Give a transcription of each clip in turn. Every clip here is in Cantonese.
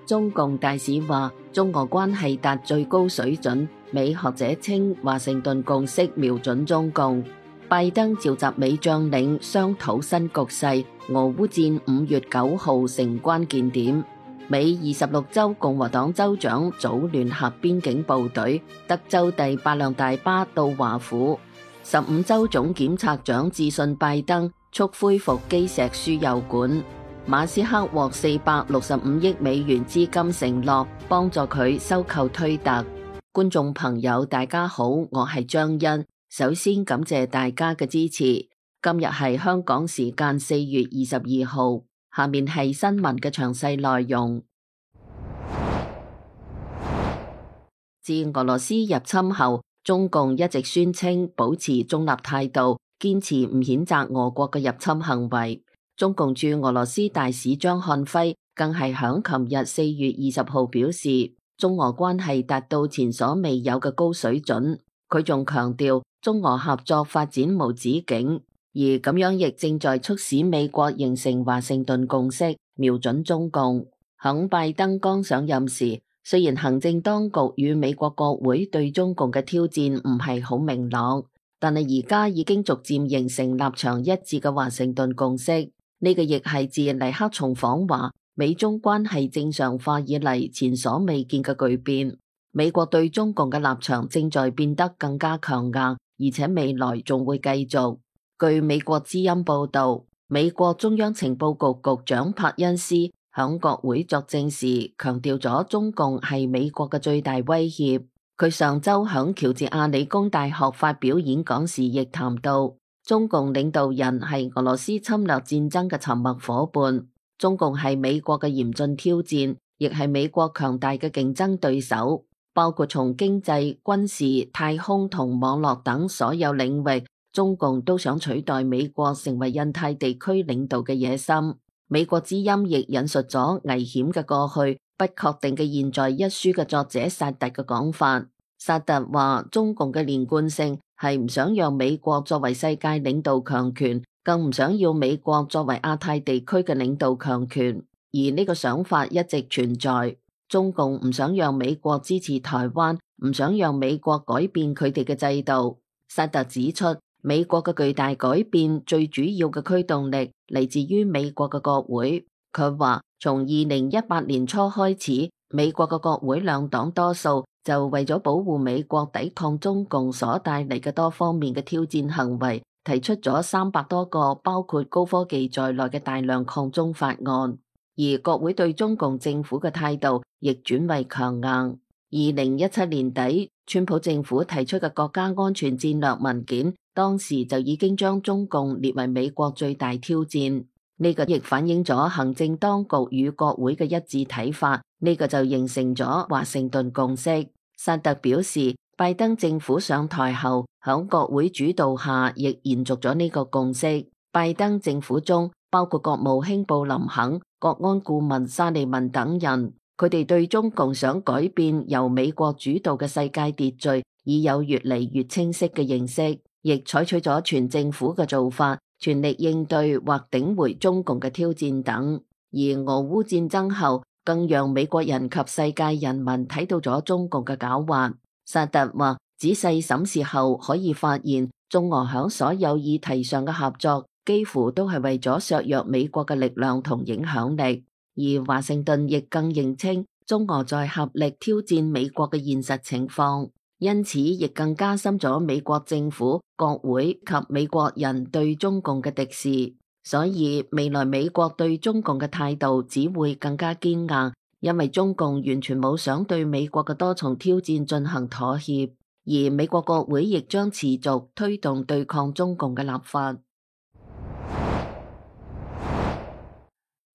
中共大使話中俄關係達最高水準，美學者稱華盛頓共識瞄準中共。拜登召集美將領商討新局勢，俄烏戰5月9號成關鍵點。美26州共和黨州長組聯合邊境部隊，德州第8輛大巴到華府。15州總檢察長致信拜登，促恢復基石輸油管。馬斯克獲465億美元資金承諾，幫助佢收購推特。觀眾朋友大家好，我係張欣，首先感謝大家嘅支持。今日係香港時間4月22號，下面係新聞嘅詳細內容。自俄羅斯入侵後，中共一直宣稱保持中立態度，堅持唔譴責俄國嘅入侵行為。中共駐俄羅斯大使張漢輝更係響琴日4月20號表示，中俄關係達到前所未有嘅高水準。佢仲強調，中俄合作發展無止境，而咁樣亦正在促使美國形成華盛頓共識，瞄準中共。響拜登剛上任時，雖然行政當局與美國國會對中共嘅挑戰唔係好明朗，但係而家已經逐漸形成立場一致嘅華盛頓共識。呢個亦係自尼克松訪華，美中關係正常化以嚟前所未見嘅巨變。美國對中共嘅立場正在變得更加強硬，而且未來仲會繼續。據美國之音報道，美國中央情報局局長柏恩斯響國會作證時強調咗中共係美國嘅最大威脅。佢上周響喬治亞理工大學發表演講時亦談到，中共領導人係俄羅斯侵略戰爭嘅沉默夥伴，中共係美國嘅嚴峻挑戰，亦係美國強大嘅競爭對手，包括從經濟、軍事、太空同網絡等所有領域，中共都想取代美國成為印太地區領導嘅野心。美國之音亦引述咗《危險嘅過去，不確定嘅現在》一書嘅作者薩特嘅講法。薩特話，中共嘅連貫性係唔想讓美國作為世界領導強權，更唔想要美國作為亞太地區嘅領導強權，而呢個想法一直存在。中共唔想讓美國支持台灣，唔想讓美國改變佢哋嘅制度。薩特指出，美國嘅巨大改變最主要嘅驅動力嚟自於美國嘅國會。佢話，從2018年初開始，美國嘅國會兩黨多數就為咗保護美國抵抗中共所帶嚟嘅多方面嘅挑戰行為，提出咗300多個包括高科技在內嘅大量抗中法案。而國會對中共政府嘅態度亦轉為強硬。2017年底，川普政府提出嘅國家安全戰略文件，當時就已經將中共列為美國最大挑戰。呢個亦反映咗行政當局與國會嘅一致睇法，呢個就形成咗華盛頓共識。薩特表示，拜登政府上台後，響國會主導下，亦延續咗呢個共識。拜登政府中包括國務卿布林肯、國安顧問沙利文等人，佢哋對中共想改變由美國主導嘅世界秩序已有越嚟越清晰嘅認識，亦採取咗全政府嘅做法，全力應對或頂回中共嘅挑戰等。而俄烏戰爭後，更讓美國人及世界人民睇到咗中共嘅狡猾。薩特話，仔細審視後可以發現，中俄響所有議題上嘅合作，幾乎都係為咗削弱美國嘅力量同影響力。而華盛頓亦更認清中俄在合力挑戰美國嘅現實情況，因此亦更加深咗美國政府、國會及美國人對中共嘅敵視。所以未來美國對中共嘅態度只會更加堅硬，因為中共完全冇想對美國嘅多重挑戰進行妥協，而美國國會亦將持續推動對抗中共嘅立法。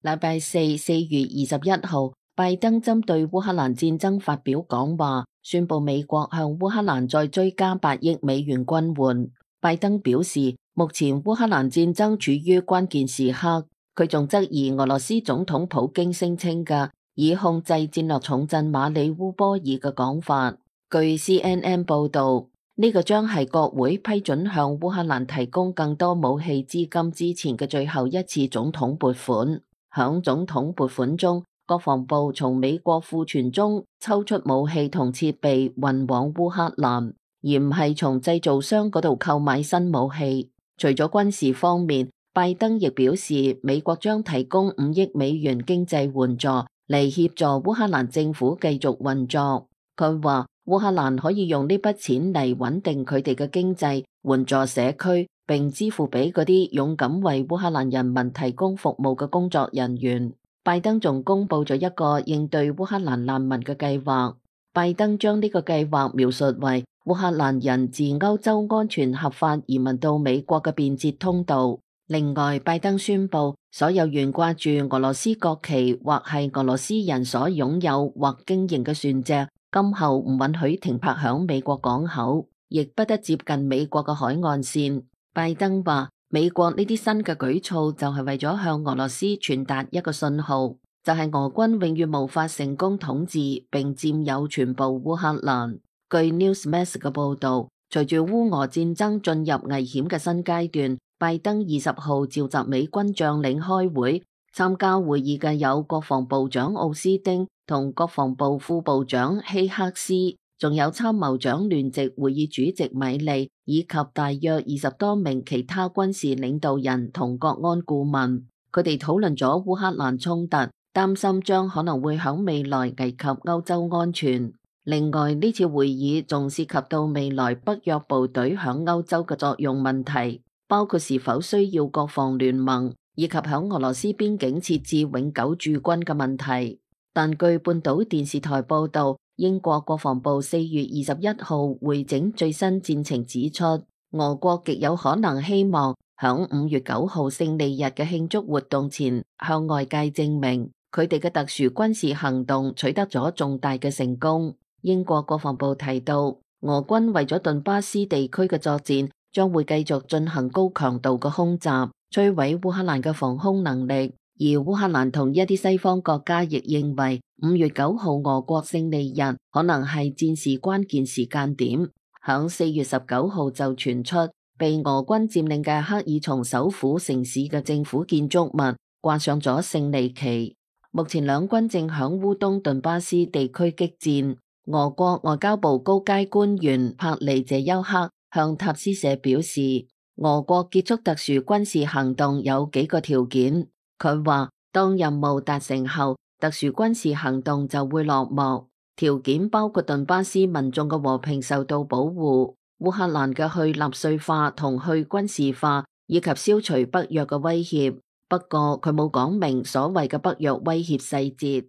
禮拜四4月21號，拜登針對烏克蘭戰爭發表講話，宣布美國向烏克蘭再追加8億美元軍援。拜登表示，目前烏克蘭戰爭處於關鍵時刻。佢仲質疑俄羅斯總統普京聲稱嘅以控制戰略重鎮馬里烏波爾嘅講法。據 CNN 報道，呢個將係國會批准向烏克蘭提供更多武器資金之前嘅最後一次總統撥款。響總統撥款中，國防部從美國庫存中抽出武器同設備運往烏克蘭，而唔係從製造商嗰度購買新武器。除咗軍事方面，拜登亦表示美國將提供5億美元經濟援助嚟協助烏克蘭政府繼續運作。佢話烏克蘭可以用呢筆錢嚟穩定佢哋嘅經濟，援助社區，並支付俾嗰啲勇敢為烏克蘭人民提供服務嘅工作人員。拜登仲公布咗一個應對烏克蘭難民嘅計劃。拜登將呢個計劃描述為烏克蘭人自歐洲安全合法移民到美國嘅便捷通道。另外，拜登宣布所有懸掛住俄羅斯國旗或係俄羅斯人所擁有或經營嘅船隻，今後唔允許停泊響美國港口，亦不得接近美國嘅海岸線。拜登話，美國呢啲新嘅舉措就係為咗向俄羅斯傳達一個信號，就係俄軍永遠無法成功統治並佔有全部烏克蘭。據 Newsmax 嘅報導，隨住烏俄戰爭進入危險嘅新階段，拜登20號召集美軍將領開會，參加會議嘅有國防部長奧斯汀同國防部副部長希克斯，仲有參謀長聯席會議主席米利，以及大約20多名其他軍事領導人同國安顧問。佢哋討論咗烏克蘭衝突，擔心將可能會響未來危及歐洲安全。另外，呢次會議仲涉及到未來北約部隊響歐洲嘅作用問題，包括是否需要國防聯盟，以及響俄羅斯邊境設置永久駐軍嘅問題。但據半島電視台報道，英國國防部4月21號回整最新戰情指出，俄國極有可能希望響5月9號勝利日嘅慶祝活動前向外界證明佢哋嘅特殊軍事行動取得咗重大嘅成功。英國國防部提到，俄軍為咗頓巴斯地區嘅作戰，將會繼續進行高強度嘅空襲，摧毀烏克蘭嘅防空能力。而烏克蘭同一啲西方國家亦認為5月9號俄國勝利日可能係戰事關鍵時間點。響4月19號就傳出被俄軍佔領嘅克爾松首府城市嘅政府建築物掛上咗勝利旗。目前兩軍正響烏東頓巴斯地區激戰。俄國外交部高階官員帕利謝丘克向塔斯社表示，俄國結束特殊軍事行動有幾個條件。佢話，當任務達成後，特殊軍事行動就會落幕。條件包括頓巴斯民眾嘅和平受到保護，烏克蘭嘅去納粹化同去軍事化，以及消除北約嘅威脅。不過佢冇講明所謂嘅北約威脅細節。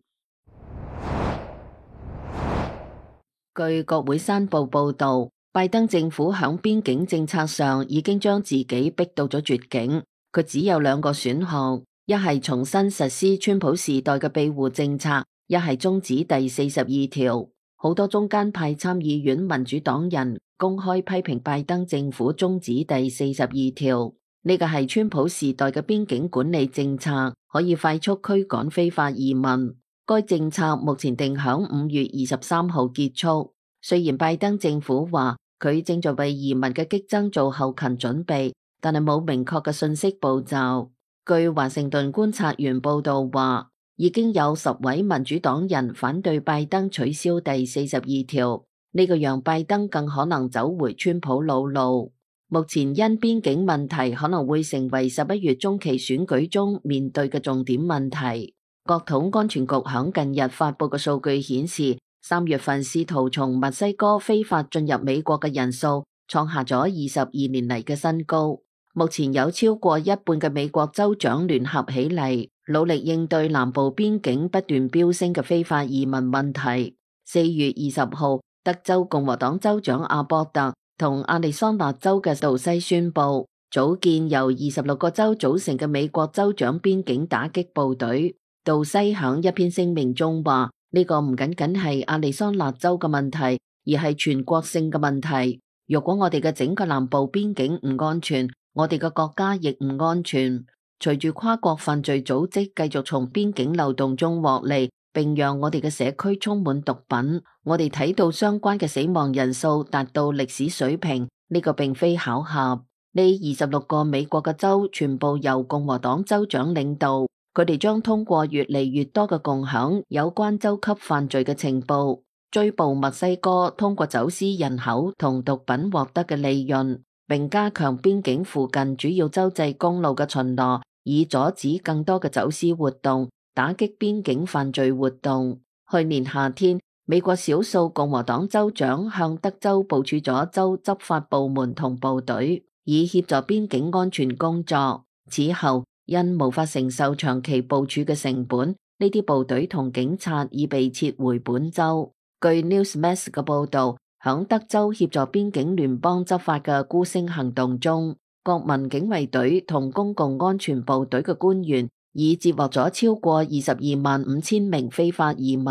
據國會山報報道，拜登政府響邊境政策上已經將自己逼到咗絕境，佢只有2個選項。一係重新實施川普時代嘅庇護政策，一係終止第42條。好多中間派參議院民主黨人公開批評拜登政府終止第42條。呢個係川普時代嘅邊境管理政策，可以快速驅趕非法移民。該政策目前定響5月23號結束。雖然拜登政府話佢正在為移民嘅激增做後勤準備，但係冇明確嘅信息步驟。據華盛頓觀察員報道話，已經有10位民主黨人反對拜登取消第42條，呢個讓拜登更可能走回川普老路。目前因邊境問題可能會成為11月中期選舉中面對嘅重點問題。國土安全局響近日發佈嘅數據顯示，3月份試圖從墨西哥非法進入美國嘅人數創下咗22年嚟嘅新高。目前有超過一半嘅美國州長聯合起嚟，努力應對南部邊境不斷飆升嘅非法移民問題。4月20號，德州共和黨州長阿博特同亞利桑那州嘅杜西宣布，組建由26個州組成嘅美國州長邊境打擊部隊。杜西響一篇聲明中話，呢個唔僅僅係亞利桑那州嘅問題，而係全國性嘅問題。如果我哋嘅整個南部邊境唔安全，我哋嘅國家亦唔安全。隨住跨國犯罪組織繼續從邊境漏洞中獲利，並讓我哋嘅社區充滿毒品，我哋睇到相關嘅死亡人數達到歷史水平，呢個並非巧合。呢26個美國嘅州全部由共和黨州長領導，佢哋將通過越嚟越多嘅共享有關州級犯罪嘅情報，追捕墨西哥通過走私人口同毒品獲得嘅利潤，並加強邊境附近主要州際公路嘅巡邏，以阻止更多嘅走私活動，打擊邊境犯罪活動。去年夏天，美國少數共和黨州長向德州部署咗州執法部門同部隊，以協助邊境安全工作。此後，因無法承受長期部署嘅成本，呢啲部隊同警察已被撤回本州。據 Newsmax 嘅報導，響德州協助邊境聯邦執法嘅孤星行動中，國民警衛隊同公共安全部隊嘅官員已接獲咗超過225000名非法移民。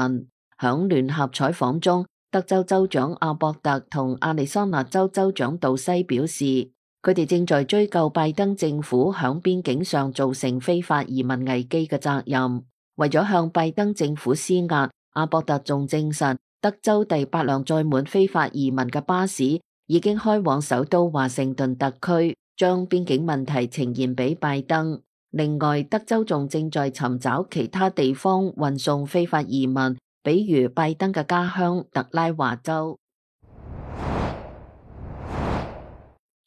響聯合採訪中，德州州長阿博特同亞利桑那州州長杜西表示，佢哋正在追究拜登政府響邊境上造成非法移民危機嘅責任。為咗向拜登政府施壓，阿博特仲證實，德州第8輛載滿非法移民嘅巴士已經開往首都華盛頓特區，將邊境問題呈現俾拜登。另外，德州仲正在尋找其他地方運送非法移民，比如拜登嘅家鄉特拉華州。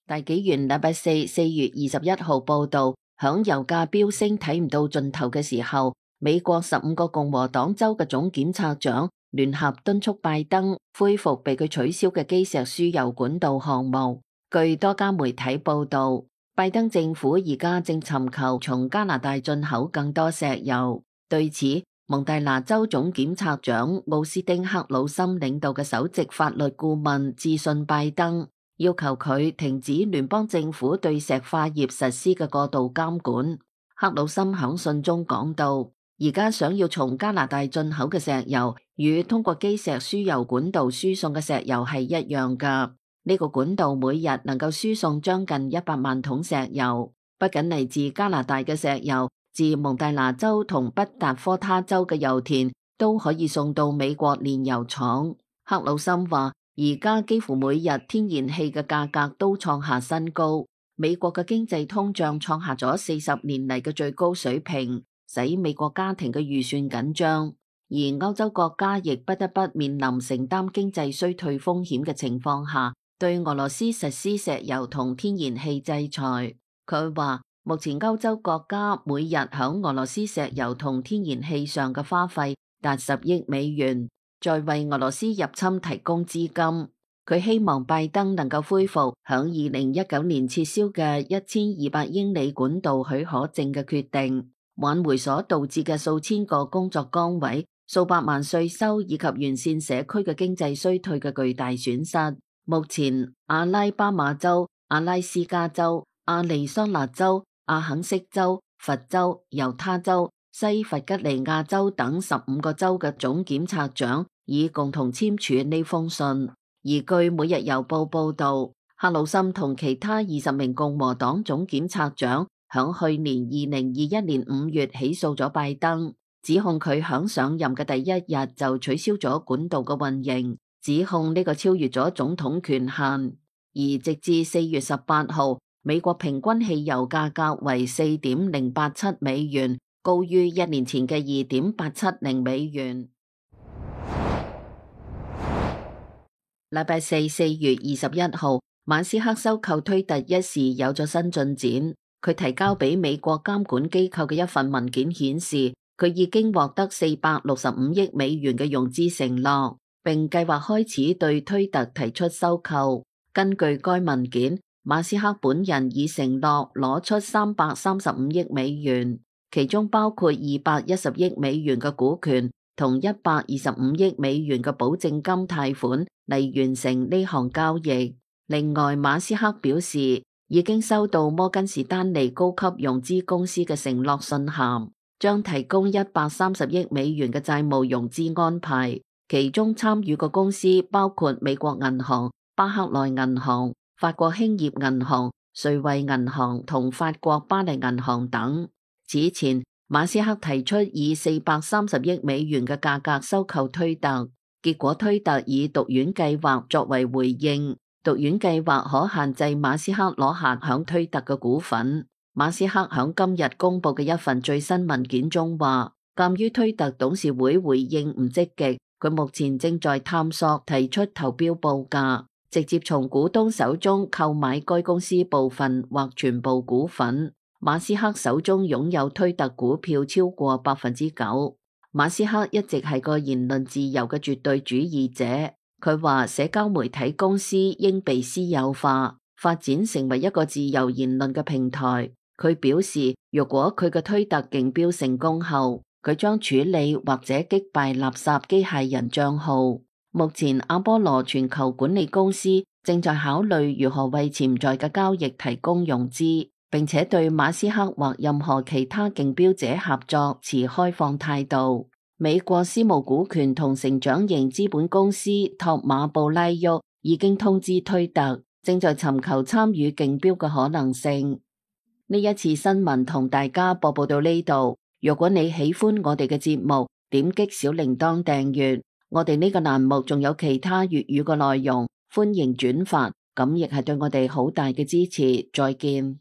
大紀元禮拜四4月21號報道，響油價飆升睇唔到盡頭嘅時候，美國15個共和黨州嘅總檢察長聯合敦促拜登恢復被佢取消嘅基石輸油管道項目。據多家媒體報道，拜登政府而家正尋求從加拿大進口更多石油。對此，蒙大拿州總檢察長奧斯丁克魯森領導嘅首席法律顧問致信拜登，要求佢停止聯邦政府對石化業實施嘅過度監管。克魯森響信中講到，而家想要從加拿大進口嘅石油，與通過基石輸油管道輸送嘅石油係一樣㗎。呢個管道每日能夠輸送將近100萬桶石油，不僅嚟自加拿大嘅石油，自蒙大拿州同北達科他州嘅油田都可以送到美國煉油廠。克魯森話，而家幾乎每日天然氣嘅價格都創下新高，美國嘅經濟通脹創下咗40年嚟嘅最高水平，使美國家庭嘅預算緊張。而歐洲國家亦不得不面臨承擔經濟衰退風險嘅情況下，對俄羅斯實施石油同天然氣制裁。佢話，目前歐洲國家每日響俄羅斯石油同天然氣上嘅花費達10億美元，在為俄羅斯入侵提供資金。佢希望拜登能夠恢復響2019年撤銷嘅1200英里管道許可證嘅決定，挽回所導致嘅數千個工作崗位、數百萬稅收以及完善社區嘅經濟衰退嘅巨大損失。目前，阿拉巴馬州、阿拉斯加州、亞利桑那州、阿肯色州、佛州、猶他州、西弗吉尼亞州等15個州嘅總檢察長已共同簽署呢封信。而據每日郵報報道，克魯森同其他20名共和黨總檢察長響去年2021年5月起訴咗拜登，指控佢響上任嘅第一日就取消咗管道嘅運營，指控呢個超越咗總統權限。而直至4月18號，美國平均汽油價格為4.087美元，高於1年前嘅2.870美元。禮拜四4月21號，馬斯克收購推特一事有咗新進展。佢提交俾美國監管機構嘅一份文件顯示，佢已經獲得465億美元嘅融資承諾，並計劃開始對推特提出收購。根據該文件，馬斯克本人已承諾攞出335億美元，其中包括210億美元嘅股權同125億美元嘅保證金貸款嚟完成呢項交易。另外，馬斯克表示已經收到摩根士丹利高級融資公司嘅承諾信函，將提供130億美元嘅債務融資安排，其中參與嘅公司包括美國銀行、巴克萊銀行、法國興業銀行、瑞惠銀行同法國巴黎銀行等。此前，馬斯克提出以430億美元嘅價格收購推特，結果推特以毒丸計劃作為回應。毒丸計劃可限制馬斯克攞下響推特嘅股份。馬斯克響今日公布嘅一份最新文件中話，鑒於推特董事會回應唔積極，佢目前正在探索提出投標報價，直接從股東手中購買該公司部分或全部股份。馬斯克手中擁有推特股票超過9%。馬斯克一直係個言論自由嘅絕對主義者，佢話社交媒體公司應被私有化，發展成為一個自由言論嘅平台。佢表示，如果佢嘅推特競標成功後，佢將處理或者擊敗垃圾機械人賬號。目前阿波羅全球管理公司正在考慮如何為潛在嘅交易提供融資，並且對馬斯克或任何其他競標者合作持開放態度。美國私募股權同成長型資本公司托馬布拉沃已經通知推特，正在尋求參與競標嘅可能性。呢一次新聞同大家播報到呢度。如果你喜歡我哋嘅節目，點擊小鈴鐺訂閱。我哋呢個欄目仲有其他粵語嘅內容，歡迎轉發，咁亦係對我哋好大嘅支持。再見。